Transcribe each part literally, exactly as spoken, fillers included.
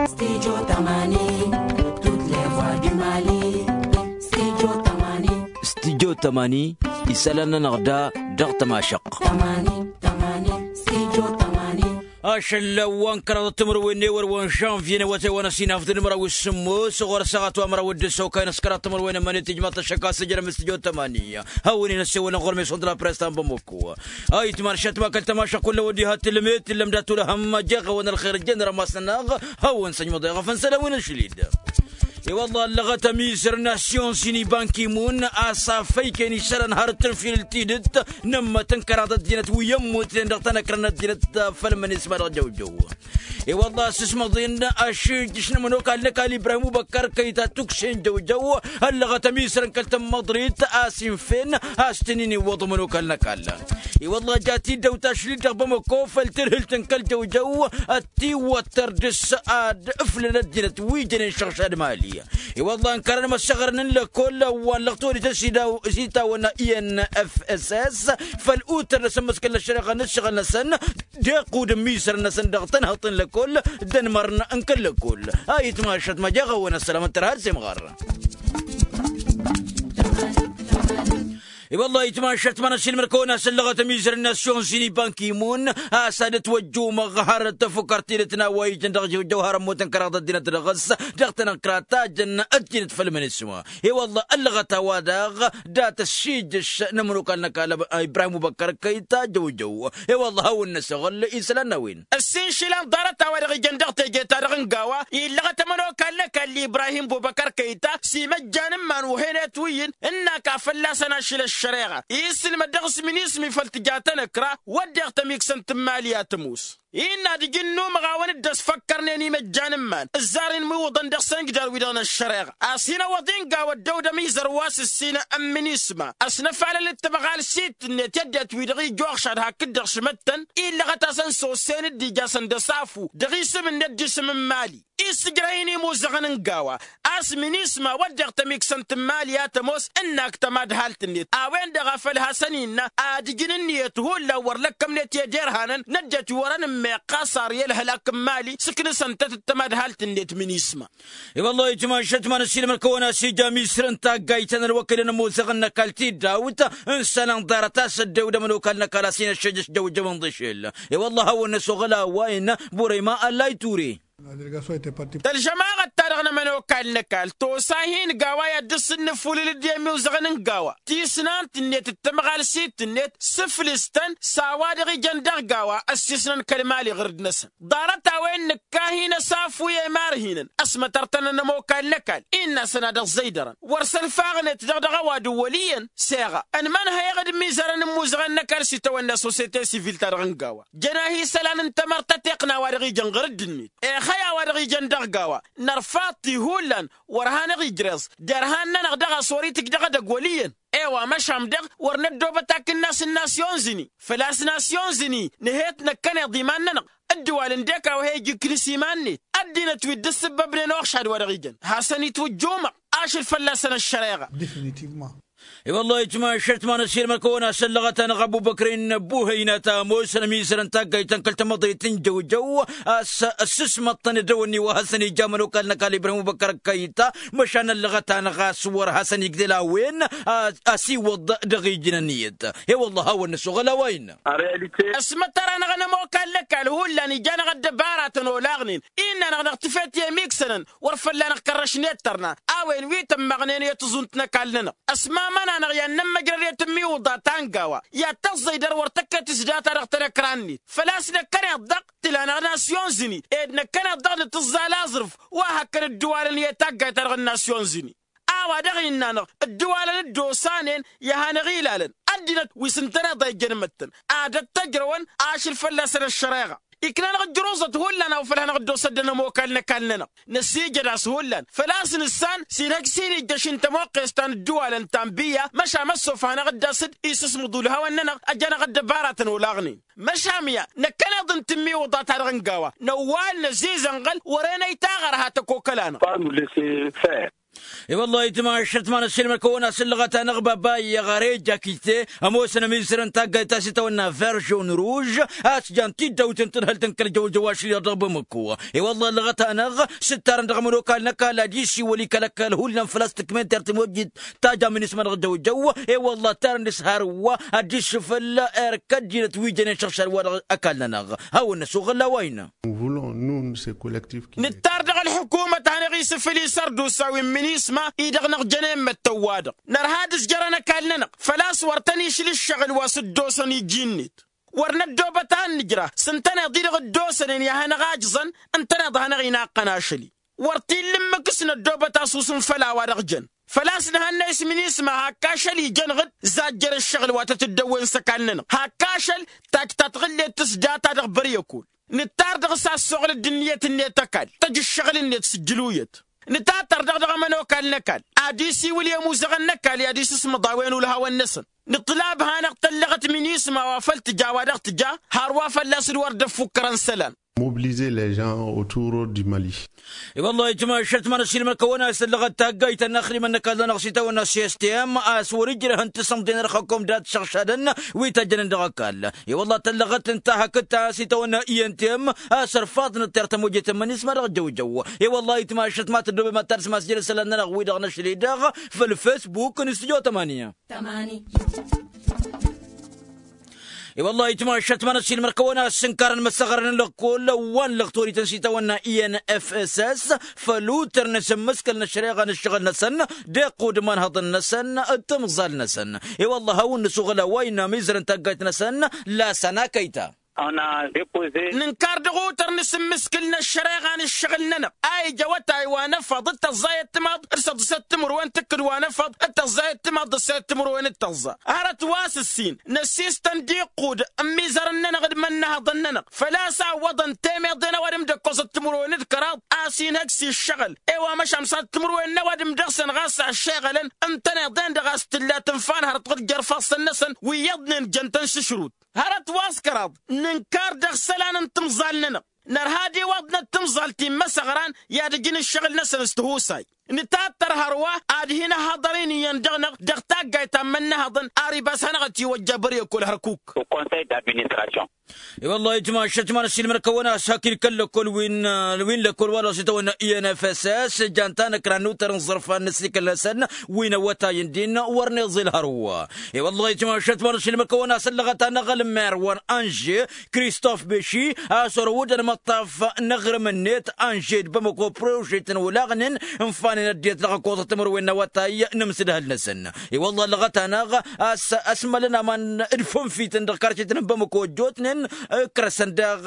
Studio tămani. Tut levwa dimali. Studio tămani. Studio tămani. Isălan-nănăɣ da dăɣ-tămašăɣt. Tămani tămani. Studio tămani. Ašăl wa n-kăraḍăt timǝrwen n-ewăr wa n-žănvye n-awătay wa n-ăsinafdǝn măraw s-sǝmmos ɣur-ăssaɣăt wa măraw d-ǝssokay n-ăskăraḍ timǝrwen n-mănet ijmaḍ-t ăššăk a-s ǝjrăm s-studio tămani. Hawăn-in-ăssewălăn ɣur-meson d-la press ta n-bamăkko. Ayǝtman šăt ma kăl-tămašăɣ kull a-wen diha tǝlmet ǝllăm dat-wăla hăm jeɣ-awăn ălxer jăn rămas-nănăɣ. Hawăn-săjmăḍ eɣăf n-isălan wi n-ašlid. I-wălla ăllăɣăt ămizăr n-nasyon sini banki-mun a-s afăyken isălan har tǝnfilǝl tidǝt n-ǝmmăt n-kăraḍ ăddinăt wi ămmutnen dăɣ-tanăkrăn ăddinăt. Făll-mănisma dăɣ-jăwjăw. I-wălla a-s ǝsmăḍen ašǝjjǝš n-ămănokal n-ăkall ibrahim ubăkkar kăyta tuksen jăwjăw. Ăllăɣăt ămizărăn kăl-tămmăḍrit a-s infen a-s tǝnin iwwăḍ ămănokal n-ăkall. I-wălla ja-t-dd-ăwt ašli-dd dăɣ-bamăko făll-tǝrhǝlt n-kăl-jăwjăw. Ătiwăttăr dăɣ-s ad-ǝflăn ăddinăt wi jănen šăɣšad mali. I-wălla ănkărăn măssăɣrăn n-lăkoll wa n-lăɣ tolităn s-itawăn i n f s s. Făll-utăr n-asǝmmǝskăl n-ăššăreɣa n-ǝššăɣǝl-năsăn. Dequd n-misăr-năsăn dăɣ-tănhăḍt n-lăkoll d-ănmărn n-kăl-lăkoll. Ayǝtmašăt ma jeɣ-awăn ăssălam ăttăr har semɣar. I-wălla ayǝtmašăt ma n-ăsilmăr-kăwăn a-s ăllăɣăt ămizăr n-nasyon sini banki-mun a-s ad-ătwăjjumăɣ har tăfukărt tidǝt n-a-wa ijăn dăɣ-jăwjăw har ămmut n-kăraḍ ăddinăt dăɣ-s dăɣ-tanăkra tajăn ăddinăt făll-mănesma. I-wălla ăllăɣăt a-wa daɣ dat-ăssiijjăš n-ămănokal n-ăkall ibrahim ubăkkăr kăyta jăwjăw. I-wălla hawăn-năsăɣǝl isălan n-a-wen. Ăssin išilan ḍarăt a-wa-dăɣ ijăn dăɣ-teje-ta-dăɣ n-gawa illăɣăt ămănokal n-ăkall ibrahim bubăkăr kăyta s-imăjjan n-iman uhenetwǝyǝn ǝnn'-ak a fălla-săn ašǝl ăššăreɣa. Isǝlmăd dăɣ-s minismi făll-tǝja tanăkra wădden tămiksăn tǝmmali a tămoos. Innă ad-ǝj ǝnnumăɣ a-wăn dd-ăsfăkkărnen imăjjan n-iman ǝzzar inmiwǝḍăn dăɣ-săn ǝjdar-wi-dăɣ n-ăššăreɣa a-s hin-ăwwăḍ-in gawa ăddăwd ămizăr wa s-ǝssin n-minisma. Ăsnăfalăl d-tamăɣalsit-net i-ăddinăt-wi-dăɣ ija uɣšad hakd-dăɣ šmăttăn illăɣăt-asăn s-ossen dd-ija săndăsafu dăɣ-isǝm-net d-isǝm n-imali. Issǝjrăy-in imuzăɣăn n-gawa a-s minisma wădden tămiksăn tǝmmali a tămoos ǝnnak tămadhalt-net a-wen-dăɣ a făl hasăn-innă ad-ǝjǝn ǝnniyăt hullan wăr lăkkămnet i-ed irhanăn n-ăddinăt wi wărăn ǝmmeɣ ɣas ar i-ălhălak n-imali s-ǝknǝsăn-tăt d-tămadhalt-net minisma. I-wăllah itmašăt ma n-ăssiilmăr-kăwăn a-s ija amisr n-taggayt ta n-ălwăkăyăn ămoosăɣ n-ăkall tiddawt n-isălan ḍarăt a-s ăddewd ămănokal n-ăkall a-s hin-ăššăjăš jăwjăwăn d-ašel. I-wăllah a hawăn-năsoɣăl a-wa innă burăyma ăllay ture. Tălžămaɣăt-ta-dăɣ n-ămănokal n-ăkall tosa hin-gawa i-ad-dd-sǝnnǝfulǝl d-emiwzăɣăn n-gawa tisnant-net d-tamɣalsit-net sǝflǝs-tăn s-a-wa-dăɣ ijăn dăɣ-gawa ăssiisnăn kăl-mali ɣǝrǝd-năsăn. Ḍarăt a-wen nǝkka hin-ăsafu i-imarhinăn ăsmătăr-tăn ănămokal n-ăkall innă-săn ad-ăẓẓăydărăn wăr sălfaɣnet-dăɣ dăɣ-ăwadǝm wăl' iyyăn. Seɣa ănmănhăyăɣ d-imizărăn n-imuzăɣăn n-ăkall s-itawănna sosete sivil-ta-dăɣ n-gawa jăn-ahi isălan n-tamărt ăteqna a-wa-dăɣ ijăn ɣǝrǝd-net. Ixăy a-wa-dăɣ ijăn dăɣ-gawa nărfaḍ-t i-hullan wăr hanăɣ-ijreẓ derhan-nănăɣ daɣ a-s wăr itǝjj dăɣ-edăgg wăl' iyyăn. I-wa măšan dăɣ-wăr năddoobăt akǝnnas n-nasyon zǝni făl-a-s nasyon zǝni nǝhet năkkăneḍ iman-nănăɣ ǝddǝwal ǝndek a-wa he-ija iknǝs iman-net ăddinăt wi dd-ǝssǝbbăbnen uɣšad wa dăɣ-ijăn hasăn-itwǝjjumăɣ ašăl fălla-săn ăššăreɣa. I-wăllah itmašăt ma n-ăssiilmăr-kăwăn a-s ăllăɣăt-anăɣ ăbubăkr-in buhăynat ămoosăn ămizărăn taggayt ta n-kăl-tamăḍrit n-jăwjăw a-s ăssǝsmăḍ-tăn edăwănni wa hasăn-ija ămănokal n-ăkall ibrahim ubăkăr kăyta măšan ăllăɣăt-anăɣ a-s wăr hasăn-igdel a-wen a-s iwwăḍ dăɣ-ijǝn ănniyăt. I-wăllah a hawăn-năsoɣăl a-wa innă. Ăsmătăr-anăɣ ănămokal n-ăkall hullan ija-năɣ ăddăbaratăn olaɣnen innă-năɣ năɣ-tǝfet i-emiksănăn wăr fălla-năɣ kărrăšnet tărna a-wen wi tămmăɣnen i-tǝẓunt n-ăkall-nănăɣ. Ăsmamăn-anăɣ i-ad-nămmăjrăd i-tǝmmiwǝḍa ta n-gawa i-ad-tăẓẓăydăr wăr tăkket s-data dăɣ-tanăkra-net făl-a-s năkkăneḍ-dăɣ tǝla-năɣ nasyon zǝni ed năkkăneḍ-dăɣ nǝtǝẓẓal aẓrǝf wa hăkkăn ǝddǝwalăn i-taggayt-ta-dăɣ n-nasyon zǝni. A-wa dăɣ-innă-năɣ ǝddǝwalăn dd-osanen i-ad-hanăɣ-ilalăn ăddinăt wi s-ǝntăneḍ a ijjăn imăttăn ad-ăttăjrăwăn ašăl fălla-săn ăššăreɣa. Ikna-năɣ ǝjruẓăt hullan a-wa făl hanăɣ-dd-osăddăn ămokal n-ăkall-nănăɣ năsiijăd a-s hullan făl-a-s nǝssan s-inhăj s-inijjăš n-tămoqqes ta n-ǝddǝwalăn ta n-biyya măšan măssof hanăɣ-dd-asǝd isǝsmǝḍ ulhawăn-nănăɣ ăjănăɣ ăddăbaratăn olaɣnen. Măšan ya năkkăneḍ n-tǝmmiwǝḍa-ta-dăɣ n-gawa năwwal năzizănɣăl wăren ăytaɣ ărha tăkokăla-năɣ. Pas nous laisser faire. I-wăllah itmašăt ma n-ăssiilmăr-kăwăn-as ǝllăɣăt-anăɣ baba iyyăɣ ar ejjakite ămoosăn ămizărăn taggayt ta s-itawănna verjon ruž. A-s jan tiddawten tǝdhǝlt n-kăl-jăw jăw ašli dăɣ-bamăko. I-wăllah ǝllăɣăt-anăɣ s-ǝttarăn dăɣ-ămănokal n-ăkall ad-isiwǝl i-kăl-ăkall hullan făl-a-s tǝkmen tertǝmojit tajam n-ismănăɣ jăw jăw. I-wăllah ǝttarăn dăɣ-s hărwa ad-dd-isǝfǝl erk ăddinăt wi jănen šăɣšad wa dăɣ-ăkall-nănăɣ. Hawăn-năsoɣăl a-wa innă. Nǝttar dăɣ-ălḥukumăt a hanăɣ-isǝfǝl isărdusa wi n-minisma-i-dăɣ năɣjăn i-immăttăn-wa-dăɣ nărha ad-ǝzjărăn ăkall-nănăɣ. Făl-a-s wăr tăn-išli ǝššăɣǝl wa s-ǝddosăn iji-net. Wăr năddoobăt a ǝnnǝjra s-ǝntăneḍ-i-dăɣ ǝddosănen i-ad-hanăɣ-ajẓăn ǝntăneḍ a hanăɣ-inaqqăn ašăl-i. Wăr t-illa ǝmmǝk s-năddoobăt asusǝm făll-a-wa-dăɣ jăn. Făl-a-s nǝhănnăyăs minisma hakk ašăl ijăn ɣǝd zajjăr ǝššăɣǝl wa tăt-dd-ăwwen s-ăkall-nănăɣ hakk ašăl. Tajj ta tɣǝllet tǝsdata dăɣ-băryăkol. Nǝttar dăɣ-s a ăssoɣlăd ǝnniyăt-net ăkall tăj ǝššăɣǝl-net s-ǝjjǝluyăt. Nǝtattăr dăɣ-dăɣ ămănokal n-ăkall ad-isiwǝl i-ămuzăɣăn n-ăkall i-ad-isǝsmăḍ a-wen ulhawăn-năsăn. Nǝṭṭǝlab hanăɣ-tăllăɣăt minisma wa făl tǝja a-wa dăɣ-tǝja. Hărwa fălla-s d-wăr dd-ăffukkărăn isălan. Mobilize les gens autour du mali. I-wăllah ijmašăt ma n-ăssiilmăr-kăwăn-as ǝllăɣăt taggayt ta n-axdimăn n-ăkall-nănăɣ s-itawănna s-s t m a-s wăr-ǝjrăhăn tisǝmḍen ărxăkom dat-išăɣšadăn wi tăjjănen dăɣ-ăkall. I-wăllah tăllăɣăt ǝnta hakd ta s-itawănna i n t m a-s ărfaḍnăt tertăm ojetăn mănisma dăɣ-jăwjăw. I-wăllah ijmašăt ma tăddoobem ad-tadǝsmas jere-sălan-nănăɣ-wi-dăɣ năšli dăɣ-făll-fesbuk n-stujo tămani. I-wăllah itmašăt ma n-ăssiilmăr-kăwăn-as ǝnkarăn măsăɣrăn n-lăkkol wa n-lăɣtorităn s-itawănna i n f s s făll-utăr n-asǝmmǝskăl n-ăššăreɣa n-ǝššăɣǝl-năsăn d-iqqud imanhăḍăn-năsăn d-timẓal-năsăn. I-wăllah a hawăn-nǝsuɣǝl a-wa innă amizărăn taggayt-năsăn. Lasăn akăyta. Nǝnkar dăɣ-utăr n-asǝmmǝskǝl n-ăššăreɣa n-ǝššăɣǝl-nănăɣ a ija awătay wa n-efăḍ d-tăẓẓayăt timaḍ d-săḍǝsăt timǝrwen tǝkkǝd wa n-efăḍ d-tăẓẓayăt timaḍ d-ăssăyăt timǝrwen d-tăẓẓa. Hărăt wa s-ǝssin năssistăn d-iqqud n-imizărăn-nănăɣ d-imănnăhăḍăn-nănăɣ făl-a-s a ǝwwăḍăn temeḍe n-ăwadǝm d-ǝkkoẓăt timǝrwen d-kăraḍ a-s inhăj s-iššăɣǝl. I-wa măšan s-ad-timǝrwen n-ăwadǝm dăɣ-săn ɣas a ăššeɣălăn ǝntăneḍ-en-dăɣ a-s tǝlla tǝnfa n-hărăt ɣǝjjăr ifassăn-năsăn wi iyyăḍnen jăn-tăn šǝšrut. Hărăt wa s-kăraḍ nǝnkar dăɣ-isălan n-timẓal-nănăɣ. Nărha ad-iwwăḍnăt timẓal ti n-imăsăɣran i-ad-ǝjǝn ǝššăɣǝl-năsăn s-tihusay. Nǝtattăr hărwa ad-hin-ăhhăḍăr-in iyyăn dăɣ-năɣ dăɣ-taggayt ta n-imănnăhăḍăn. Aribas hanăɣ-ătiwăjja băryăkol hărkuk. I-wăllah ijmašăt ma n-ăssiilmăr-kăwăn-as hak-in kăl-lăkkol wi n-lăkkol wa dăɣ-s itawănna i n f s s jan-tanăkra n-utăr n-iẓărfan n-ăssikăl-năsăn wi n-awătay n-din wăr n-iẓil hărwa. I-wăllah ijmašăt ma n-ăssiilmăr-kăwăn-as ăllăɣăt-anăɣ ălmer wa n-anže kristof beši a-s orăwădăn imăṭṭaf n-aɣrǝm-net anže d-bamăko prožet n-olaɣnen ǝnfanen ăddinăt dăɣ-ăkkoẓăt timǝrwen n-awătay n-amsǝdhăl-năsăn. I-wăllah ăllăɣăt-anăɣ a-s ăsmălăn aman d-fănfităn dăɣ-karcetăn n-bamăko ăjjootnen ǝkrăsăn daɣ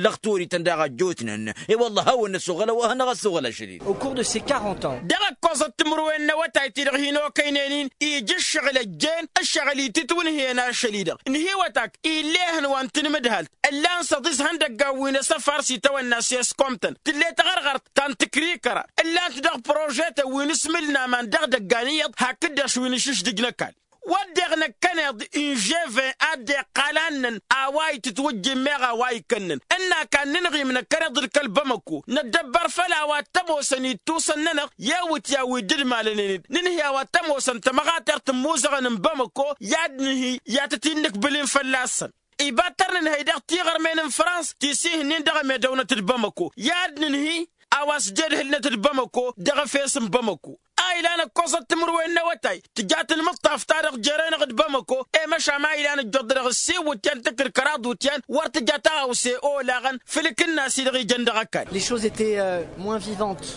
lăɣtorităn daɣ ăjjootnen. I-wăllah a hawăn-năsoɣăl a-wa hanăɣ-ăssoɣăl ašăl-in. Au cours de ces quarante ans dăɣ-ăkkoẓăt timǝrwen n-awătay-ti-dăɣ hin-okăynen-in ija ǝššăɣǝl ăjjeen ǝššăɣǝl itǝtwǝnhǝyăn ašăl-i-dăɣ ǝnhǝywăt-ak ill'-e ihăn wa n-tinmǝdhalt ǝllan săḍis ihăndăggan wi n-asăfar s-itawănna s-eskomtăn tǝll'-e taɣărɣărt ta n-tǝkrikăra ǝllan-t dăɣ-prožetăn wi n-asmǝl n-aman dăɣ-idăggan iyyăḍ hakd-dăɣ wi n-ašǝšdǝj n-ăkall. Wădden năkkăneḍ inževen a dd-iqqal annăn a-wa itǝtwǝjjǝn meɣ a-wa ikănnăn ǝnn'-ak ad-nǝnɣim năkkăneḍ d-kăl-bamăko năddăbbăr făll-a-wa t-ămoosăn ittusăn-nănăɣ i-iwǝtyan wi dd-ǝmalănen-dd nǝnhǝy a-wa t-ămoosăn tămăɣatert n-imuzăɣăn n-bamăko i-ad-nǝnhǝy i-ad-tăt-in-nǝkbǝl-in fălla-săn. Iba t-ărnǝnhăy dăɣ-tiɣărmen n-frans ti s-ihǝnnin dăɣ-emedăwnăt d-bamăko i-ad-nǝnhǝy a-wa s-jedhǝlnăt d-bamăko dăɣ-efes n-bamăko. A ilan ăkkoẓăt timǝrwen n-awătay tǝja tǝnmǝṭṭaf-ta-dăɣ jere-năɣ d-bamăko i-măšan a ilan ǝjjuḍ dăɣ-ǝssin iwǝtyan tǝkkǝd kăraḍ iwǝtyan wăr tǝja taɣawse olaɣăn făll-ikǝnnas-i-dăɣ ijăn dăɣ-ăkall. Les choses étaient moins vivantes.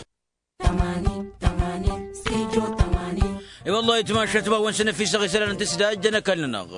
I-wăllah itmašat ma wăn-săn ăfisăɣ isălan n-tǝsdajjăn ăkall-nănăɣ.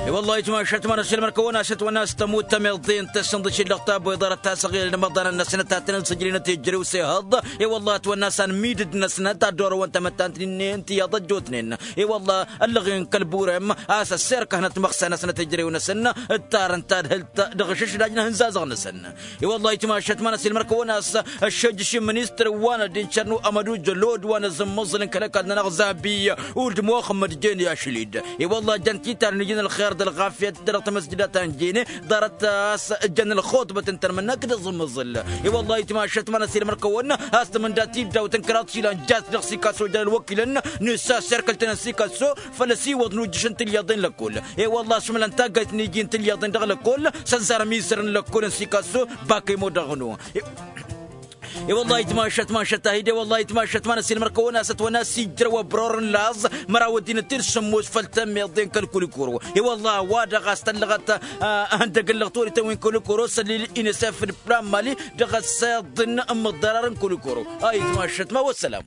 I-wăllah itmašat ma n-ăssilmăr-kăwăn-asăt wăn-as tămut tămiḍe n-tăssăn d-ašǝllăɣ ta băyḍarăt ta săɣilăn imăḍanăn-năsnăt ta tăn-ănsǝjlǝnăt ejărew s-ehăḍ. I-wăllah ătwănna a-s anmidǝd-năsnăt ad-dd-orăwăn tamăttant n-innin tiyyăḍ ăjjootnen. I-wăllah ăllăɣen kăl-burem a-s ăssirkăhnăt măɣsa-năsnăt ejărew-năsăn ǝttarăn tadhǝlt dăɣ-ašǝšdaj n-ahǝnzazăɣ-năsăn. I-wăllah itmašat ma n-ăssilmăr-kăwăn-as ăššejjăš i-ministăr wa n-ăddin šărnu ămăduj lod wa n-azǝmmăẓǝl n-kăl-ăkall-nănăɣ zabiy. Ur d-muxămmăd jen i-ašlid. I-wălla jăn titar n-ijin ălxer d-ălɣafyăt dăɣ-tamăsjida ta n-jene ḍarăt a-s jăn ălxuṭbăt n-tărmǝnnak d-aẓǝmmǝẓǝl. I-wălla itmašăt ma n-ăsilmăr-kăwăn a-s tǝmǝnda tiddawt n-kăraḍ išilan jas dăɣ-sikasso jăn ălwăkilăn n-issa serkăl-tăn n-sikasso făl-ăsiwăḍ n-ujjǝš n-tilyaḍen lăkkol. I-wălla a-s mălan taggayt n-iji n-tilyaḍen dăɣ-lăkkol s-ăzzarăm isăr n-lăkkol n-sikasso. Bakăy modăɣnu. I-wălla itmašăt mašăt ahide wălla itmašăt ma n-ăsilmăr-kăwăn a-s ătwănna s-ijrăw ăbror n-laẓ măraw ăddinăt-dd sǝmmos făll-tămmiḍe n-kăl-kulikoro. I-wălla a-wa-dăɣ a-s tăllăɣăt ăhăndăg n-lăɣtorităn wi n-kulikoro s-ăllil inisef d-plan mali dăɣ-ăssăḍăn n-imǝḍḍarar n-kulikoro. A itmašăt ma wăssălam.